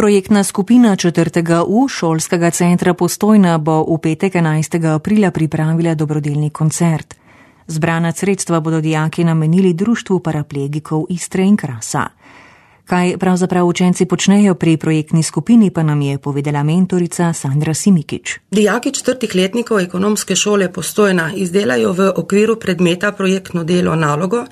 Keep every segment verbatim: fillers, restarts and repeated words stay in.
Projektna skupina četrtega U šolskega centra Postojna bo v petek enajstega aprila pripravila dobrodelni koncert. Zbrana sredstva bodo dijaki namenili Društvu paraplegikov Istre in Krasa. Kaj pravzaprav učenci počnejo pri projektni skupini, pa nam je povedala mentorica Sandra Simikić. Dijaki četrtih letnikov ekonomske šole Postojna izdelajo v okviru predmeta projektno delo nalogo,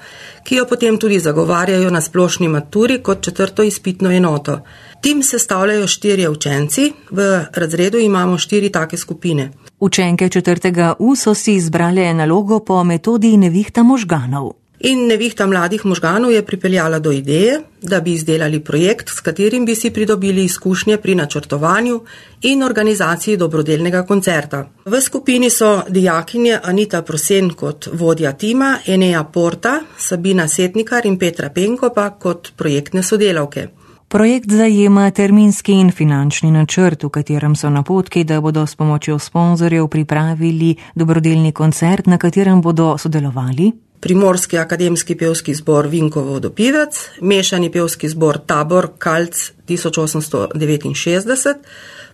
ki jo potem tudi zagovarjajo na splošni maturi kot četrto izpitno enoto. Tim sestavljajo štirje učenci, v razredu imamo štiri take skupine. Učenke četrtega U so si izbrale nalogo po metodi nevihta možganov. In nevihta mladih možganov je pripeljala do ideje, da bi izdelali projekt, s katerim bi si pridobili izkušnje pri načrtovanju in organizaciji dobrodelnega koncerta. V skupini so dijakinje Anita Prosen kot vodja tima, Enea Porta, Sabina Setnikar in Petra Penko pa kot projektne sodelavke. Projekt zajema terminski in finančni načrt, v katerem so napotki, da bodo s pomočjo sponzorjev pripravili dobrodelni koncert, na katerem bodo sodelovali Primorski akademski pevski zbor Vinkovo vodopivec, mešani pevski zbor Tabor Kalc tisoč osemsto devetinšestdeset,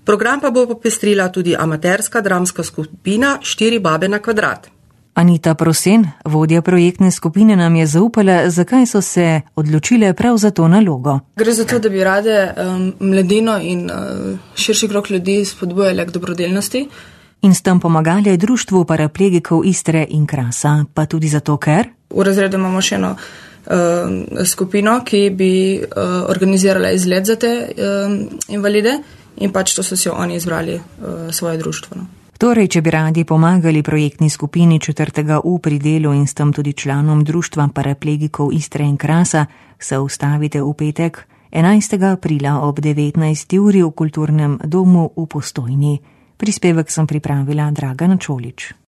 program pa bo popestrila tudi amaterska dramska skupina Štiri babe na kvadrat. Anita Prosen, vodja projektne skupine, nam je zaupala, zakaj so se odločile prav za to nalogo. Gre za to, da bi rade um, mladino in uh, širši krog ljudi spodbujali k dobrodelnosti. In s tem pomagali Društvu paraplegikov Istre in Krasa, pa tudi zato, ker v razredu imamo še eno uh, skupino, ki bi uh, organizirala izlet za te uh, invalide in pač to so si oni izbrali uh, svoje društvo. No. Torej, če bi radi pomagali projektni skupini četrtega U pri delu in s tem tudi članom Društva paraplegikov Istre in Krasa, se ustavite v petek enajstega aprila ob devetnajsti uri v Kulturnem domu v Postojni. Prispevek sem pripravila Dragana Čolić.